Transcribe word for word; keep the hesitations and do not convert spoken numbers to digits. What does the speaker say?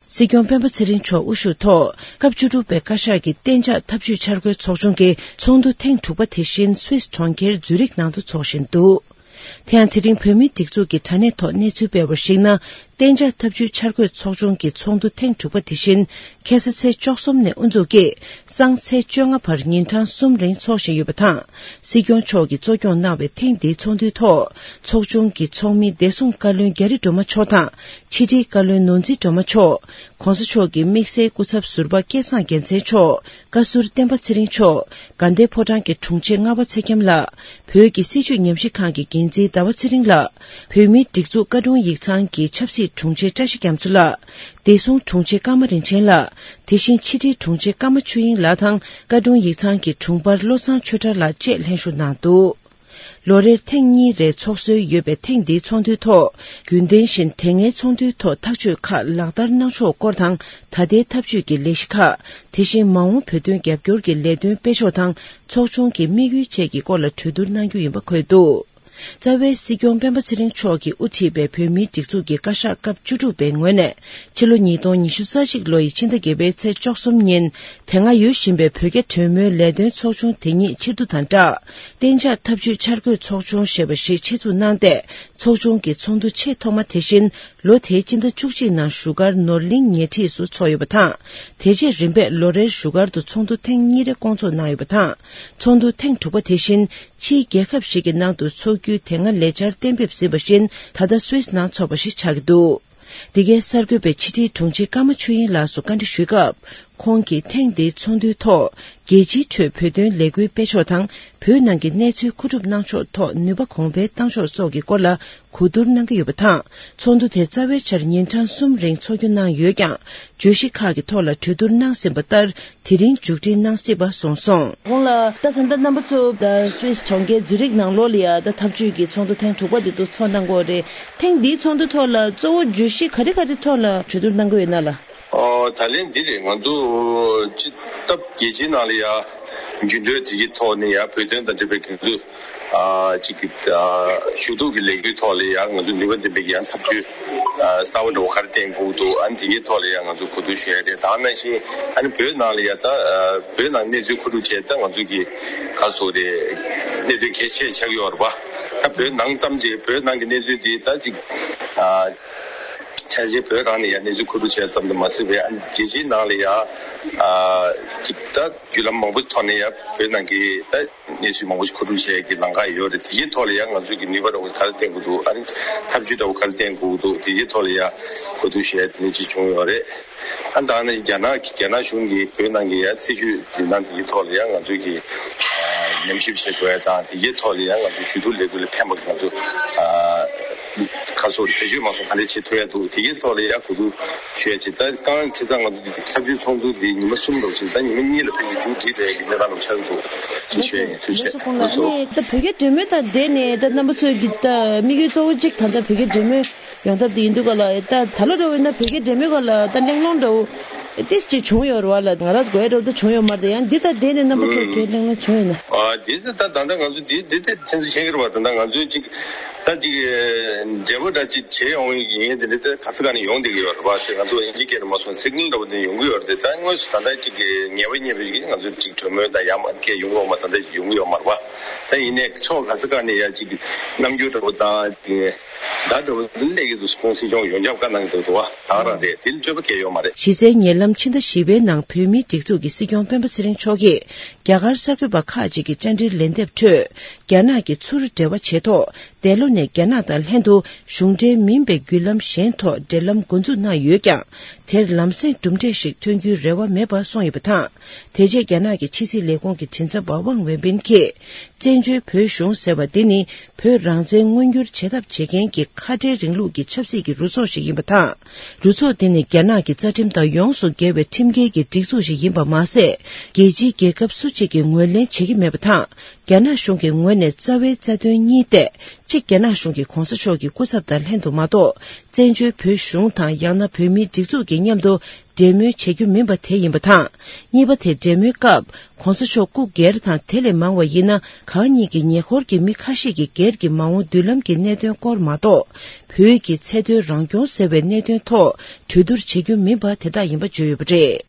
སྲིད་སྐྱོང་སྤེན་པ་ཚེ་རིང་མཆོག་དབུ་བཞུགས་ཐོག་སྐབས་བཅུ་དྲུག་པའི་བཀའ་ཤག་གི་གཏན་འཇགས་འཐབ་ཇུས་འཆར་འགོད་ཚོགས་ཆུང་གི་ཚོགས་འདུ་ཐེངས་དྲུག་པ་དེ་བཞིན་སུད་སི་གྲོང་ཁྱེར་ཛུ་རིག་ནང་དུ་འཚོགས་བཞིན་འདུག་དེ་ཡང་དེ་རིང་བོད་མིའི་སྒྲིག་འཛུགས་ཀྱི་དྲ་གནས་ཐོག་གནས་ཚུལ་སྤེལ་བར་གཞིགས་ན། གཏན་འཇགས་འཐབ་ཇུས་འཆར་འགོད་ཚོགས་ཆུང་གི་ཚོགས་འདུ་ཐེངས་དྲུག་པ་དེ་བཞིན་ཁ་སང་ཚེས་བཅུ་གསུམ་ནས་དབུ་འཛུགས་ཀྱིས་སང་ཚེས་བཅོ་ལྔ་བར་ཉིན་གྲངས་གསུམ་རིང་འཚོགས་བཞིན་ཡོད་པ་དང་། སྲིད་སྐྱོང་མཆོག་གིས་གཙོ་སྐྱོང་གནང་བའི་ཐེངས་འདིའི་ཚོགས་འདུའི་ཐོག་ཚོགས་ཆུང་གི་ཚོགས་མི་བདེ་སྲུང་བཀའ་བློན་རྒྱ་རི་སྒྲོལ་མ་མཆོག་དང་ཕྱི་དྲིལ་བཀའ་བློན་ནོར་འཛིན་སྒྲོལ་མ་མཆོག ༸གོང་ས་མཆོག་གི་དམིགས་བསལ་སྐུ་ཚབ་ཟུར་པ་སྐལ་བཟང་རྒྱལ་མཚན་མཆོག་བཀའ་ཟུར་བསྟན་པ་ཚེ་རིང་མཆོག་དགའ་ལྡན་ཕོ་བྲང་གི་དྲུང་ཆེ་ལྔ་པ་ཚེ་རྒྱམ་ལགས། བོད་ཀྱི་སྲིད་བྱུས་ཉམས་ཞིབ་ཁང་གི་འགན་འཛིན་ཟླ་བ་ཚེ་རིང་ལགས། བོད་མིའི་སྒྲིག་འཛུགས་བཀའ་དྲུང་ཡིག་ཚང་གི་ཆབ་སྲིད་དྲུང་ཆེ་བཀྲ་ཤིས་རྒྱ་མཚོ་ལགས། བདེ་སྲུང་དྲུང་ཆེ་ཀརྨ་རིན་ཆེན་ལགས། དེ་བཞིན་ཕྱི་དྲིལ་དྲུང་ཆེ་ཀརྨ་ཆོས་དབྱིངས་ལགས་དང་བཀའ་དྲུང་ཡིག་ཚང་གི་དྲུང་འཕར་བློ་བཟང་ཆོས་གྲགས་ལགས་བཅས་ལྷན་ཞུགས་གནང་འདུག་ལོ་རེར་ཐེངས་གཉིས་རེ་འཚོགས་སྲོལ་ཡོད་པའི་ཐེངས་འདིའི་ཚོགས་འདུའི་ཐོག་རྒྱུན་ལྡན་བཞིན་དེ་སྔའི་ཚོགས་འདུའི་ཐོག་ཐག་གཅོད་ཁག་ལག་བསྟར་གནང་ཕྱོགས་སྐོར་དང་། ད་ལྟའི་ཐབས་ཇུས་ཀྱི་ལས་གཞི་ཁག་དེ་བཞིན་མ་འོངས་བོད་དོན་རྒྱབ་སྐྱོར་གྱི་ལས་དོན་སྤེལ་ཕྱོགས་དང་ཚོགས་ཆུང་གི་དམིགས་ཡུལ་བཅས་ཀྱི་སྐོར་ལ་གྲོས་བསྡུར་གནང་རྒྱུ་ཡིན་པ་འཁོད་འདུག་རྩ་བའི་སྲིད་སྐྱོང་སྤེན་པ་ཚེ་རིང་མཆོག་གིས་དབུ་ཁྲིད་པའི་བོད་མིའི་སྒྲིག་འཛུགས་ཀྱི་བཀའ་ཤག་སྐབས་བཅུ་དྲུག་པའི་ངོས་ནས་ཕྱི་ལོ་ཉིས་སྟོང་ཉི་ཤུ་རྩ་གཅིག་ལོ་ཡི་ཕྱི་ཟླ་བརྒྱད་པའི་ཚེས་བཅུ་གསུམ་ཉིན་དེ་སྔ་ཡོད་བཞིན་པའི་བོད་རྒྱ་གྲོས་མོལ་ལས་དོན་ཚོགས་ཆུང་དེ་ཉིད་ཕྱིར་བསྡུ་དང་སྦྲགས། གཏན་འཇགས་འཐབ་ཇུས་འཆར་འགོད་ཚོགས་ཆུང་ཞེས་པ་ཞིག་ཆེད་འཛུགས་གནང་སྟེ། ཚོགས་ཆུང་གི་ཚོགས་འདུ་ཆེས་ཐོག་མ་དེ་བཞིན་ལོ་དེའི་སྤྱི་ཟླ་བཅུ་གཅིག་ནང་བཞུགས་སྒར་ནོར་གླིང་ཉེ་འཁྲིས་སུ་འཚོགས་ཡོད་པ་དང་། དེ་རྗེས་རིམ་པས་ལོ་རེར་བཞུགས་སྒར་དུ་ཚོགས་འདུ་ཐེངས་གཉིས་རེ་སྐོང་ཚོགས་གནང་ཡོད་པ་དང་། ཚོགས་འདུ་ཐེངས་དྲུག་པ་དེ་བཞིན་ཕྱིའི་རྒྱལ་ཁབ་ཞིག་གི་ནང་དུ་འཚོགས་རྒྱུའི་དེ་སྔ་ལས་འཆར་གཏན་འབེབས་ཟིན་པ་བཞིན་ད་ལྟ་སུད་སི་ནང་འཚོགས་པ་ཞིག་ཆགས་ཀྱི་འདུག་འདི་གའི་གསར་འགོད་པས་ཕྱི་དྲིལ་དྲུང་ཆེ་ཀརྨ་ཆོས་དབྱིངས་ལགས་སུ་བཀའ་འདྲི་ཞུས་སྐབས། ཁོང་གིས་ཐེངས་འདིའི་ཚོགས་འདུའི་ཐོག་རྒྱལ་སྤྱིའི་ཁྲོད་བོད་དོན་ལས་འགུལ་སྤེལ་ཕྱོགས་དང་། བོད་ནང་གི་གནས་ཚུལ་མཁོ་སྒྲུབ་གནང་ཕྱོགས་ཐོག་ནུས་པ་གོང་འཕེལ་གཏང་ཕྱོགས་སོགས་ཀྱི་སྐོར་ལ་གོ་བསྡུར་གནང་གི་ཡོད་པ་དང་། ཚོགས་འདུ་དེ་རྩ་བའི་ཆར་ཉིན་གྲངས་གསུམ་རིང་འཚོགས་རྒྱུ་གནང་ཡོད་ཀྱང་། བརྗོད་གཞི་ཁག་གི་ཐོག་ལ་གྲོས་བསྡུར་གནང་ཟིན་པ་ལྟར། དེ་རིང་མཇུག་སྒྲིལ་གནང་སྲིད་པ་གསུངས་སོང་། ཁོང་ལ་ད་ད་ལྟ་རྣམ་པ་ཚོ་ད་སུད་སི་གྲོང་ཁྱེར་ཛུ་རིག་ནང་ལོགས་ལ་ཡ་ད་འཐབ་ཇུས་ཀྱི་ཚོགས་འདུ་ཐེངས་དྲུག་པ་དེ་ཚོ་ཚོགས་གནང་གི་ཡོད་རེད། ཐེངས་འདིའི་ཚོགས་འདུ་ཐོག་ལ་གཙོ་བོ་བརྗོད་གཞི་ག་རེ་ག་རེ་ཐོག་ལ་གྲོས་བསྡུར་གནང་གི་ཡོད་ན་ལ། ཨོ་ད་ལན་འདི་རེད། ང་ཚོ་སྤྱི་སྟབས་རྒྱལ་སྤྱིའི་ནང་ལ་ཡ་འགྱུར་འགྲོས་དེ་གི་ཐོག་ནས་ཡ་བོད་དོན་དང་འབྲེལ་བའི་གི་ཚོ། ཨ་གཅིག་གི་ཨ་ཞུ་གཏུག་གི་ལས་འགུལ་ཐོག་ལ་ཡང་ང་ཚོ་ནུས་པ་ལྡན་པའི་ཡང་ཐབས་ཇུས་ཨ་གསར་བ་འདྲ་བོ་ག་རེ་བསྟན་དགོས་འདུག་ཨ་ནི་དེ་གའི་ཐོག་ལ་ཡང་ང་ཚོ་གོ་བསྡུར་ཞུ་ཡ་དེ་དང་ནང་བཞིན་ཨ་ནི་བོད་ནང་ལ་ཡ་ད་ཨ་བོད་ནང་གནས་ཚུལ་མཁོ་སྒྲུབ་བྱས་ད་ང་ཚོ་གི་ག་རེ་ཟེར་དགོས་རེད། གནད་དོན་གལ་ཆེ་ཆགས་ཀྱི་ཡོད་རེད་པ། ད་བོད་ནང་ཙམ་གྱི་བོད་ནང་གི་གནས་ཚུལ་དེ་ད་ཅིག་ཨ་ཕལ་ཆེར་བོད་རང་ནས་ཡ་གནས་ཚུལ་མཁོ་སྒྲུབ་བྱས་ཙམ་དུ་མ་ཟད་པའི་ཨ་ནི་རྒྱལ་སྤྱིའི་ནང་ལ་ཡ་ཨ་ཅིག་ད་བརྒྱུད་ལམ་མང་པོ་ཐོག་ནས་ཡ་བོད་ནང་གི་ད། གནས་ཚུལ་མང་པོ་ཞིག་མཁོ་སྒྲུབ་བྱེད་ཀྱི་ལམ་ཁ་ཡོད་རེད། དེའི་ཐོག་ལ་ཡང་ང་ཚོས་ཀྱི་ནུས་པ་འདྲ་བོ་ག་རེ་བསྟན་དགོས་འདུག་ཨ་ནི་ཐབས་ཇུས་འདྲ་བོ་ག་རེ་བསྟན་དགོས་འདུག་དེའི་ཐོག་ལ་ཡང་གོ་བསྡུར་བྱས་དེ་འདྲ་ཅིག་བྱུང་ཡོད་རེད། ཨ་ད་ནི་རྒྱ་ནག་རྒྱ་ནག་གཞུང་གིས་བོད་ནང་གི་ཡང་སྲིད་བྱུས་འཛིན་སྟངས་དེའི་ཐོག་ལ་ཡང་ང་ཚོས་ཀྱི་ཉམས་ཞིབ་བྱེད་དགོས་ཡ་དང་དེའི་ཐོག་ལ་ཡང་ང་ཚོས་ཞུ་གཏུག་ལས་འགུལ་ལ་ཕན་པ་ང་ཚོ་ག་སོགས་བེད་སྤྱོད་མ་སོང་ག་འདྲ་བྱེད་ཐུབ་ཡ་འདུག་དེའི་ཐོག་ལ་ཡང་གོ་བསྡུར་ཞུ་ཡ་ཅིག་ད་རྐང་ཁ་སང་ང་ཚོ་འདི་ཚབ་ཆུའི་ཚོགས་འདུ་འདི་ཉི་མ་གསུམ་འགྲོ་ཞིང་ད་ཉི་མ་གཉིས་ལ་ཕལ་ཆེར་མཇུག་སྒྲིལ་འགྲོ་ཡ་གི་གནས་སྟངས་ལ་ཆགས་འདུག་ཅེས་ཞུ་ཡ་ཡིན། ཐུགས་རྗེ་ཆེ། ལགས་སོ། ཨ་ནི་ད་བོད་རྒྱ་འབྲེལ་མོལ་དང་འབྲེལ་ནས་ད་རྣམ་པ་ཚོས་ཀྱི་ད་དམིགས་ཡུལ་གཙོ་བོ་གཅིག་ད་ལྟ་བོད་རྒྱ་འབྲེལ་མོལ་ཡོང་ཐབས་དེ་ཡིན་འདུག་ག་ལ། ད་ད་ལོ་འདྲ་བོ་ཡིན་ན་བོད་རྒྱ་འབྲེལ་མོལ་སྐོར་ལ་ད་གླེང་སློང་འདྲ་བོ་ཏིས་ཅིག་བྱུང་ཡོད་རེད་བ་ལ། ང་རང་ཚོ་དགོས་ཡ་འདྲ་བོ་ད་བྱུང་ཡོད་མ་རེད། ཡང་འདི་དང་འབྲེལ་ནས་རྣམ་པ་ཚོར་གལ་གླེང་སློང་བྱུང་ཡོད་ན། ཨ་འདི་ད་ད་ད་ལྟ་ང་ཚོ་འདི་འདི་ད་ཁྱེད་ཚོ་མཁྱེན་གྱི་རེད་བ། ད་ལྟ་ང་ཚོའི་གཅིག་ད་ཅིག་འབྲེལ་བ་འདྲ་ཅིག་བྱེད་ཡོང་ཡིན་དེ་འདྲ་ད་ག་ས་ག་ནས་ཡོང་བསྡད་ཀྱི་ཡོད་རེད་པ། ང་ཚོ་དབྱིན་ཇིའི་སྐད་ནས་མ་སོང་ཚིག་ངན་འདྲ་བོ་དེ་ཡོང་གི་ཡོད་རེད། ད་དངོས་སུ་ད་ལྟ་ཅིག་ངེས་པ་རྙེད་པའི་ང་ཚོ་ཅིག་གྲོས་མོལ་དང་ཡང་མ་སྐད་ཡོང་གི་ཡོད་མ། ད་ལྟ་ཅིག་ཡོང་གི་ཡོད་མ་རེད་པ། ད་ཡིན་ནའི་ཕྱོགས་ག་ས་ག་ནས་ཡ་ཅིག་རྣམ་འགྱུར་འདྲ་བོ་དང་ཅིག་བརྡ་འདྲ་བོ་སླེབས་ཀྱི་འདུག་ཁོང་སྲིད་སྐྱོང་ཡོངས་ཁྱབ་བཀའ་གནང་གི་འདུག་འདུག་བ། ད་ག་རང་རེད། དེ་ལ་སྤྱོད་པ་གལ་ཡོད་མ་རེད། གཞི་རྩའི་ཉེ་ལམ་ཕྱི་ཟླ་བཞི་པའི་ནང་བོད་མིའི་སྒྲིག་འཛུགས་ཀྱི་སྲིད་སྐྱོང་སྤེན་པ་ཚེ་རིང་མཆོག་གིས་རྒྱ་གར་གསར་འགོད་པ་ཁག་ཅིག་གི་བཅར་འདྲིར་ལན་འདེབས་ཁྲོད། རྒྱ་ནག་གི་ཚུར་འབྲེལ་བ་བྱས་ཐོག་འདས་ལོ་ནས་རྒྱ་ནག་དང་ལྷན་དུ་གཞུང་འབྲེལ་མིན་པའི་བརྒྱུད་ལམ་གཞན་ཐོག་འབྲེལ་ལམ་འགོ་འཛུགས་གནང་ཡོད་ཀྱང་། དེར་ལམ་སེང་གྲུབ་འབྲས་ཤིག་ཐོན་རྒྱུའི་རེ་བ་མེད་པ་གསུངས་ཡོད་པ་དང་། དེ་རྗེས་རྒྱ་ནག་གི་ཕྱི་སྲིད་ལས་ཁུངས་ཀྱི་མགྲིན་ཚབ་པ་ཝང་ཝེ་པིན་གྱིས། བཙན་བྱོལ་བོད་གཞུང་ཟེར་བ་འདི་ནི་བོད་རང་བཙན་མངོན་འགྱུར་བྱེད་ཐབས་བྱེད་མཁན་གྱི་ཁ་བྲལ་རིང་ལུགས་ཀྱི་ཆབ་སྲིད་ཀྱི་རུ་ཚོགས་ཤིག་ཡིན་པ་དང་། རུ་ཚོགས་འདི་ནི་རྒྱ་ནག་གི་རྩ་ཁྲིམས་དང་ཡོངས་སུ་འགལ་བའི་ཁྲིམས་འགལ་གྱི་སྒྲིག་འཛུགས་ཤིག་ཡིན་པ་མ་ཟད། རྒྱལ་སྤྱིའི་རྒྱལ་ཁབ་སུ་ ཅིག་གིས་ངོས་ལེན་བྱེད་ཀྱི་མེད་པ་དང་། རྒྱ་ནག་གཞུང་གི་ངོས་ནས་རྩ་བའི་རྩ་དོན་གཉིས་ཏེ། གཅིག་རྒྱ་ནག་གཞུང་གི་གོང་ས་མཆོག་གི་སྐུ་ཚབ་དང་ལྷན་དུ་མ་གཏོགས། བཙན་བྱོལ་བོད་གཞུང་དང་ཡང་ན་བོད་མིའི་སྒྲིག་འཛུགས་ཀྱི་མཉམ་དུ་འབྲེལ་མོལ་བྱེད་རྒྱུ་མིན་པ་དེ་ཡིན་པ་དང་། གཉིས་པ་དེ་འབྲེལ་མོལ་སྐབས་གོང་ས་མཆོག་སྐུ་སྒེར་དང་དེ་ལས་མང་བ་ཡིན་ན་གང་ཉིད་ཀྱི་ཉེ་འཁོར་གྱི་མི་ཁ་ཤས་ཀྱི་སྒེར་གྱི་མ་འོངས་མདུན་ལམ་གྱི་གནད་དོན་སྐོར་མ་གཏོགས། བོད་ཀྱི་ཚད་མཐོའི་རང་སྐྱོང་ཟེར་བའི་གནད་དོན་ཐོག་གྲོས་བསྡུར་བྱེད་རྒྱུ་མིན་པ་དེ་དག་ཡིན་པ་བརྗོད་ཡོད་པ་རེད།